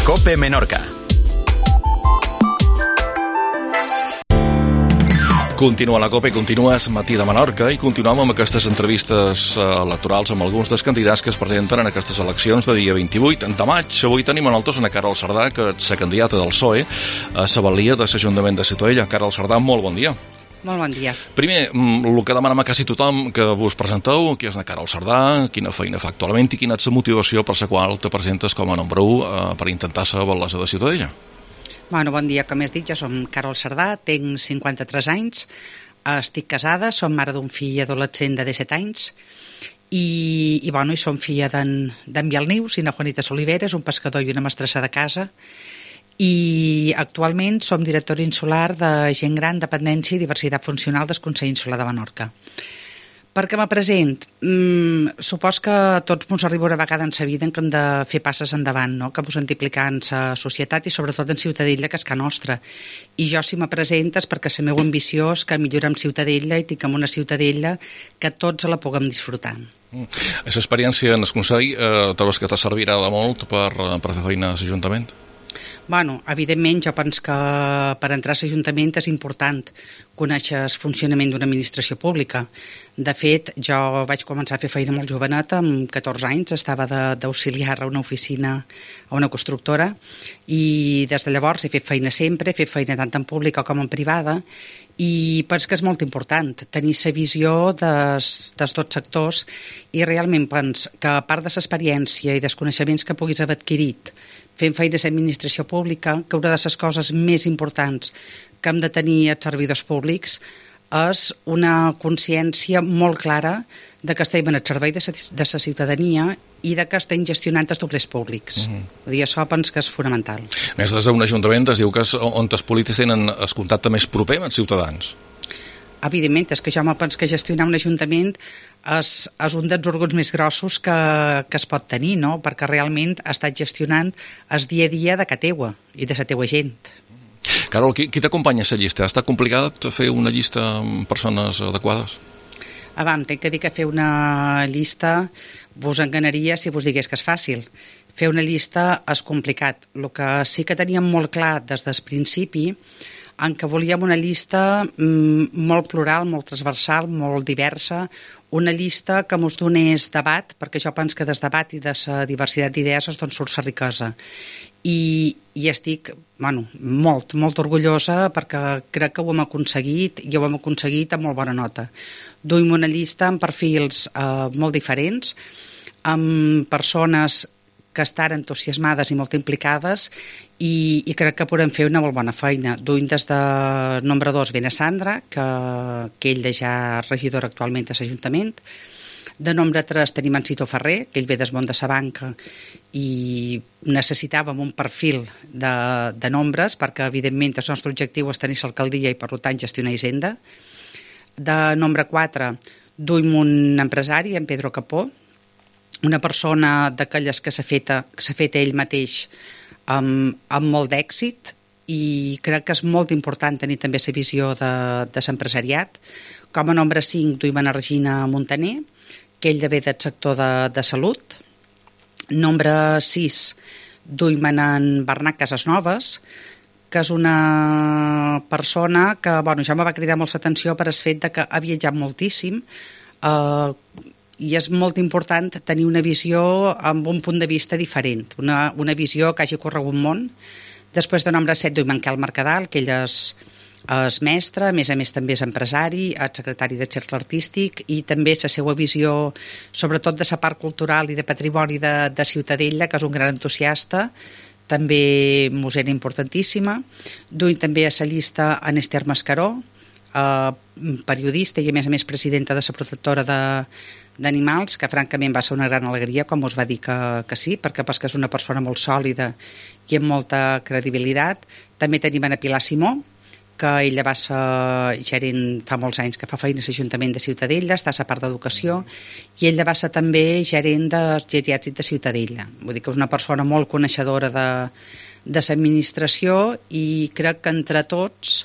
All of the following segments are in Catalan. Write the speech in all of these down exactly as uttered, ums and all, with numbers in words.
COPE Menorca. Continua la COPE, continues Matí de Menorca i continuem amb aquestes entrevistes electorals amb alguns dels candidats que es presenten en aquestes eleccions de dia vint-i-vuit de maig. Avui tenim a nosaltres una Carol Cerdà, que és la candidata del P S O E a la balia de l'Ajuntament de Ciutadella. Carol Cerdà, molt bon dia. Molt bon dia. Primer, el que demanem a quasi tothom que vos presenteu, qui és la Carol Cerdà, quina feina fa actualment i quina és la motivació per la qual te presentes com a número u eh, per intentar ser alcaldessa de Ciutadella. Bueno, bon dia, com has dit, jo som Carol Cerdà, tinc cinquanta-tres anys, estic casada, som mare d'un fill adolescent de disset anys i, i, bueno, i som filla d'en Bielnius i na Juanita Soliveres, un pescador i una mestressa de casa, i actualment som directora insular de gent gran, dependència i diversitat funcional del Consell Insular de Menorca. Per què me present? Mm, supos que a tots ens arriba una vegada en la vida en què hem de fer passes endavant, no? Que ens hem d'implicar en la societat i sobretot en Ciutadella, que és casa nostra. I jo, si me presentes, perquè la meva ambició és que millorem Ciutadella i tinguem una Ciutadella que tots la puguem disfrutar. Aquesta experiència en el Consell eh, trobes que te servirà de molt per, per fer feina a l'Ajuntament? Bueno, evidentment, jo penso que per entrar a l'Ajuntament és important conèixer el funcionament d'una administració pública. De fet, jo vaig començar a fer feina molt joveneta, amb catorze anys, estava d'auxiliar a una oficina, a una constructora, i des de llavors he fet feina sempre, he fet feina tant en pública com en privada, i penso que és molt important tenir la visió dels, dels dos sectors i realment penso que a part de l'experiència i dels coneixements que puguis haver adquirit fent feina a l'administració pública, que una de les coses més importants que hem de tenir els servidors públics és una consciència molt clara de que estem en el servei de la ciutadania i de que estem gestionant els doblers públics. Mm-hmm. Vull dir, això penso que és fonamental. A més, des d'un ajuntament es diu que és on els polítics tenen el contacte més proper amb els ciutadans. Evidentment, és que jo me penso que gestionar un ajuntament és, és un dels òrgans més grossos que, que es pot tenir, no? Perquè realment estàs gestionant el dia a dia de casa teua i de la teua gent. Carol, qui, qui t'acompanya a la llista? Ha estat complicat fer una llista amb persones adequades? Abans, tinc que dir que fer una llista vos enganaria si vos digués que és fàcil. Fer una llista és complicat. El que sí que teníem molt clar des del principi en què volíem una llista mm, molt plural, molt transversal, molt diversa, una llista que ens donés debat, perquè jo penso que des debat i de la diversitat d'idees és d'on surt la riquesa. I, i estic bueno, molt, molt orgullosa perquè crec que ho hem aconseguit i ho hem aconseguit amb molt bona nota. Duim una llista amb perfils eh, molt diferents, amb persones que estan entusiasmades i molt implicades i, i crec que podem fer una molt bona feina. Duim des de nombre dos ve a Sandra, que, que ell és ja regidor actualment a l'Ajuntament. De nombre tres tenim en Cito Ferrer, que ell ve des món de la banca i necessitàvem un perfil de, de nombres perquè evidentment el nostre objectiu és tenir l'alcaldia i per tant gestionar Hisenda. De nombre quatre duim un empresari, en Pedro Capó, una persona d'aquelles que s'ha fet, s'ha fet ell mateix amb, amb molt d'èxit i crec que és molt important tenir també la visió de, de l'empresariat. Com a nombre cinc duim a Regina Montaner, que ell ve del sector de, de salut. Nombre sis duim en Bernat Casasnoves, que és una persona que bueno, ja me va cridar molt l'atenció per el fet de que ha viatjat moltíssim, eh, i és molt important tenir una visió amb un punt de vista diferent, una, una visió que hagi corregut món. Després de nombre set duim en Quel Mercadal, que ell és, és mestre, a més a més també és empresari, és secretari de cercle artístic i també la seva visió, sobretot de la part cultural i de patrimoni de, de Ciutadella, que és un gran entusiasta, també mos era importantíssima. Duim també a la llista en Esther Mascaró, eh, periodista i a més a més presidenta de la protectora de d'animals, que francament va ser una gran alegria quan us va dir que, que sí, perquè pas que és una persona molt sòlida i amb molta credibilitat. També tenim a Pilar Simó, que ella va ser gerent fa molts anys que fa feina a l'Ajuntament de Ciutadella, està a la part d'educació, i ella va ser també gerent del geriàtric de Ciutadella. Vull dir que és una persona molt coneixedora de, de l'administració i crec que entre tots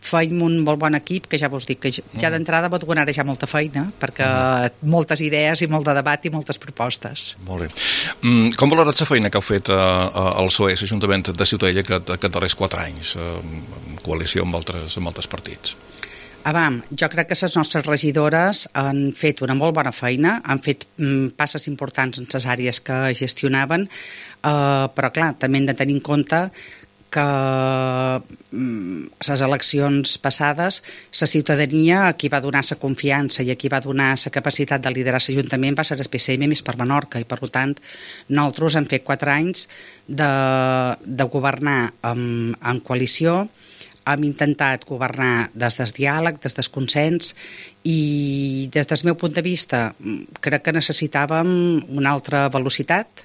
feim un molt bon equip, que ja vos dic que ja d'entrada vos donarà ja molta feina, perquè moltes idees i molt de debat i moltes propostes. Molt bé. Mm, com valorats la feina que heu fet al P S O E, l'Ajuntament de Ciutadella, aquests darrers quatre anys, en coalició amb altres, amb altres partits? Avam, jo crec que les nostres regidores han fet una molt bona feina, han fet mm, passes importants en les àrees que gestionaven, eh, però clar, també hem de tenir en compte que les eleccions passades, la ciutadania a qui va donar la confiança i a qui va donar la capacitat de liderar l'Ajuntament va ser el P S M més per Menorca, i per tant nosaltres hem fet quatre anys de, de governar en, en coalició. Hem intentat governar des del diàleg, des del consens, i des del meu punt de vista crec que necessitàvem una altra velocitat,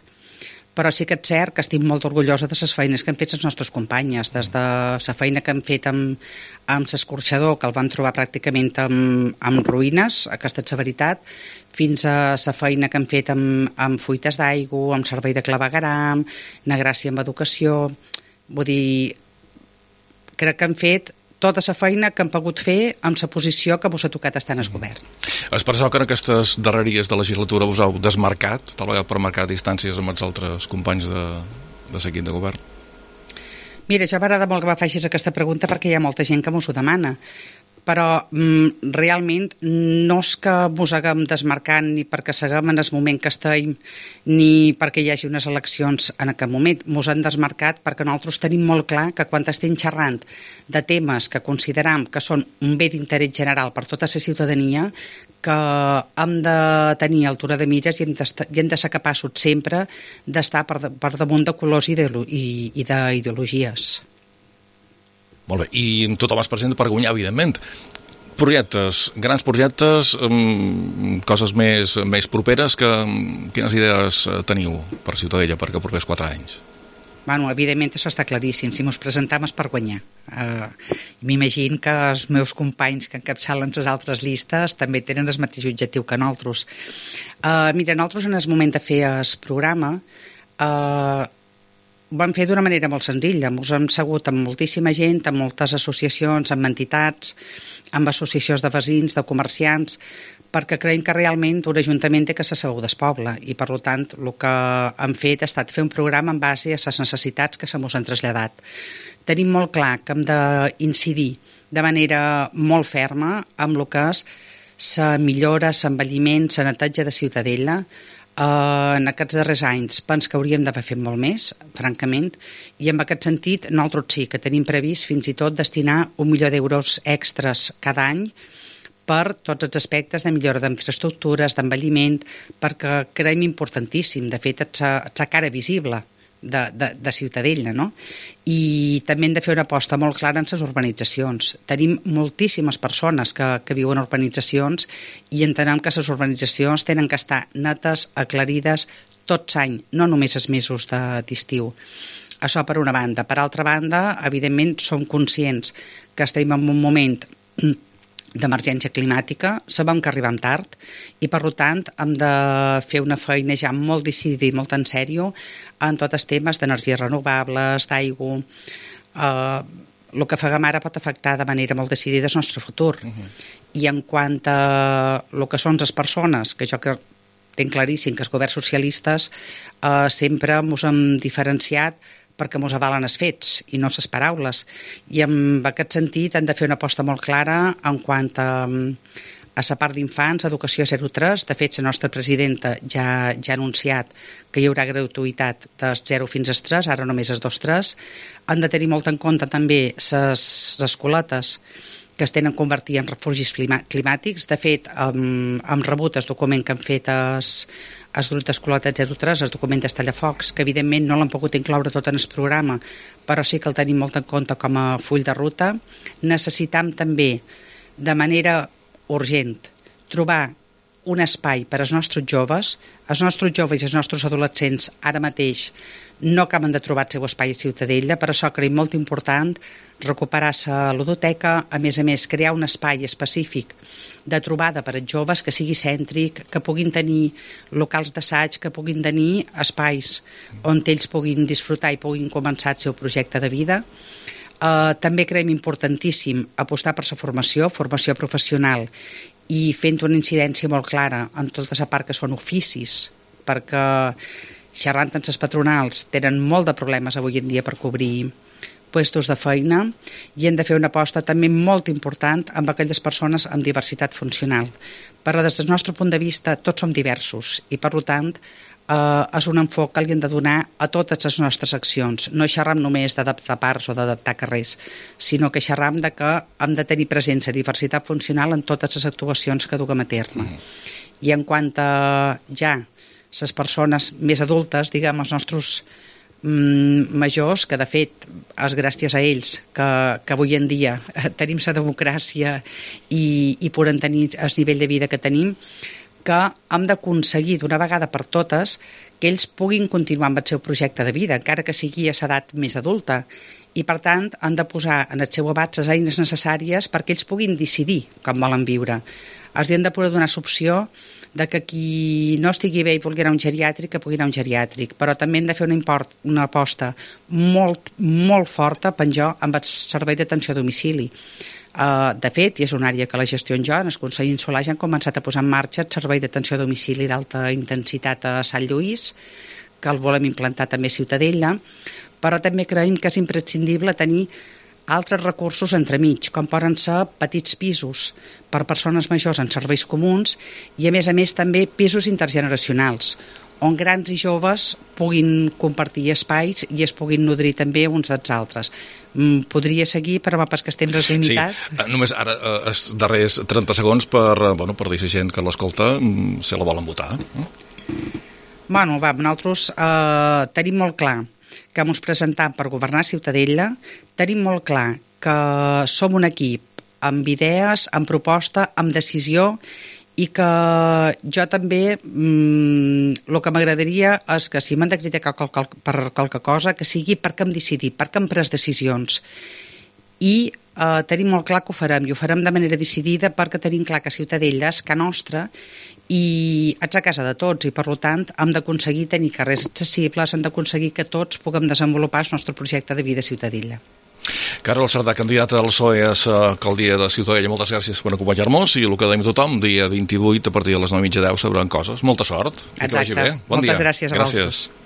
però sí que és cert que estic molt orgullosa de les feines que han fet les nostres companyes, des de la feina que han fet amb, amb l'escorxador, que el vam trobar pràcticament amb, amb ruïnes, aquesta és la veritat, fins a la feina que han fet amb, amb fuites d'aigua, amb servei de clavegueram, na gràcia amb educació. Vull dir, crec que han fet tota la feina que han pogut fer amb la posició que vos ha tocat estar en el govern. És per això que en aquestes darreries de legislatura vos heu desmarcat, tal vegada per marcar distàncies amb els altres companys de, de l'equip de govern? Mira, ja m'agrada molt que me facis aquesta pregunta perquè hi ha molta gent que m'ho demana, però mm, realment no és que mos haguem desmarcat ni perquè seguem en el moment que estem ni perquè hi hagi unes eleccions en aquest moment. Mos han desmarcat perquè nosaltres tenim molt clar que quan estem xerrant de temes que consideram que són un bé d'interès general per tota la ciutadania, que hem de tenir altura de mires i hem de, i hem de ser capaços sempre d'estar per, per damunt de colors i d'ideologies. Molt bé, i tothom es presenta per guanyar, evidentment. Projectes, grans projectes, um, coses més, més properes, que, quines idees teniu per Ciutadella per que propers quatre anys? Bueno, evidentment això està claríssim, si mos presentam és per guanyar. Uh, M'imagino que els meus companys que encapçalen les altres llistes també tenen el mateix objectiu que nosaltres. Uh, mira, nosaltres en el moment de fer el programa uh, ho vam fer d'una manera molt senzilla. Ens hem segut amb moltíssima gent, amb moltes associacions, amb entitats, amb associacions de veïns, de comerciants, perquè creiem que realment un ajuntament té que ser segur del poble, i per tant el que hem fet ha estat fer un programa en base a les necessitats que se mos han traslladat. Tenim molt clar que hem d'incidir de manera molt ferma amb el que és la millora, l'envelliment, la neteja de Ciutadella. Uh, en aquests darrers anys penso que hauríem d'haver fet molt més, francament, i en aquest sentit nosaltres sí que tenim previst fins i tot destinar un milió d'euros extras cada any per tots els aspectes de millora d'infraestructures, d'envelliment, perquè creiem importantíssim, de fet és la cara visible de, de, de Ciutadella, no? I també hem de fer una aposta molt clara en les urbanitzacions. Tenim moltíssimes persones que, que viuen en urbanitzacions i entenem que les urbanitzacions tenen que estar netes, aclarides, tot l'any, no només els mesos d'estiu. Això per una banda. Per altra banda, evidentment, som conscients que estem en un moment d'emergència climàtica, sabem que arribem tard i per tant hem de fer una feina ja molt decidida i molt en sèrio en tots els temes d'energies renovables, d'aigua. Eh, el que faguem ara pot afectar de manera molt decidida el nostre futur. Uh-huh. I en quant a el que són les persones, que jo que tinc claríssim que els governs socialistes eh, sempre ens hem diferenciat perquè ens avalen els fets i no les paraules. I en aquest sentit hem de fer una aposta molt clara en quant a, a la part d'infants, educació zero tres. De fet, la nostra presidenta ja, ja ha anunciat que hi haurà gratuïtat de zero fins a tres, ara només és dos tres. Han de tenir molt en compte també les escoletes que es tenen convertir en refugis climàtics. De fet, hem, hem rebut el document que han fet els, els grups d'escoletes zero tres, el document d'Estallafocs, que evidentment no l'han pogut incloure tot en el programa, però sí que el tenim molt en compte com a full de ruta. Necessitam també, de manera urgent, trobar un espai per als nostres joves. Els nostres joves i els nostres adolescents ara mateix no acaben de trobar el seu espai a Ciutadella, per això creiem molt important recuperar la ludoteca, a més a més crear un espai específic de trobada per als joves que sigui cèntric, que puguin tenir locals d'assaig, que puguin tenir espais on ells puguin disfrutar i puguin començar el seu projecte de vida. Uh, també creiem importantíssim apostar per la formació, formació professional, i fent una incidència molt clara en tota la part que són oficis, perquè xerrant amb les patronals tenen molt de problemes avui en dia per cobrir puestos de feina, i hem de fer una aposta també molt important amb aquelles persones amb diversitat funcional. Però des del nostre punt de vista tots som diversos i per tant eh, és un enfoc que li hem de donar a totes les nostres accions. No xerram només d'adaptar parts o d'adaptar carrers, sinó que xerram de que hem de tenir presència, diversitat funcional en totes les actuacions que duguem a terme. Mm. I en quant a ja les persones més adultes, diguem, els nostres majors, que de fet és gràcies a ells que, que avui en dia tenim la democràcia i, i podem tenir el nivell de vida que tenim, que hem d'aconseguir d'una vegada per totes que ells puguin continuar amb el seu projecte de vida, encara que sigui a l'edat més adulta, i per tant han de posar en el seu abast les eines necessàries perquè ells puguin decidir com volen viure. Els hem de poder donar l'opció de que qui no estigui bé i vulgui anar a un geriàtric, que pugui anar a un geriàtric, però també hem de fer una, import, una aposta molt, molt forta, penjo, amb el servei d'atenció a domicili. Uh, de fet, i és una àrea que la gestiono jo, en el Consell Insular ja han començat a posar en marxa el servei d'atenció a domicili d'alta intensitat a Sant Lluís, que el volem implantar també a Ciutadella, però també creiem que és imprescindible tenir altres recursos entremig, com poden ser petits pisos per persones majors en serveis comuns i, a més a més, també pisos intergeneracionals, on grans i joves puguin compartir espais i es puguin nodrir també uns dels altres. Podria seguir, però pas que el temps és limitat. Sí, només ara, els darrers trenta segons per, bueno, per dir a la gent que l'escolta si la volen votar. No? Bueno, va, nosaltres eh, tenim molt clar que ens presentem per governar Ciutadella, tenim molt clar que som un equip amb idees, amb proposta, amb decisió, i que jo també mmm, el que m'agradaria és que si m'han de criticar qual, qual, per qualque cosa, que sigui perquè hem decidit, perquè hem pres decisions. I eh, tenim molt clar que ho farem, i ho farem de manera decidida perquè tenim clar que Ciutadella és ca nostra i ets a casa de tots, i per tant hem d'aconseguir tenir carrers accessibles, hem d'aconseguir que tots puguem desenvolupar el nostre projecte de vida a Ciutadella. Carol Sardà, candidata del P S O E a l'alcaldia de Ciutadella, moltes gràcies per acompanyar-nos, i el que dèiem a tothom, dia vint-i-vuit a partir de les nou i mitja deu sabran coses. Molta sort. Exacte. Que vagi bé. Bon Moltes dia. gràcies a gràcies. vosaltres.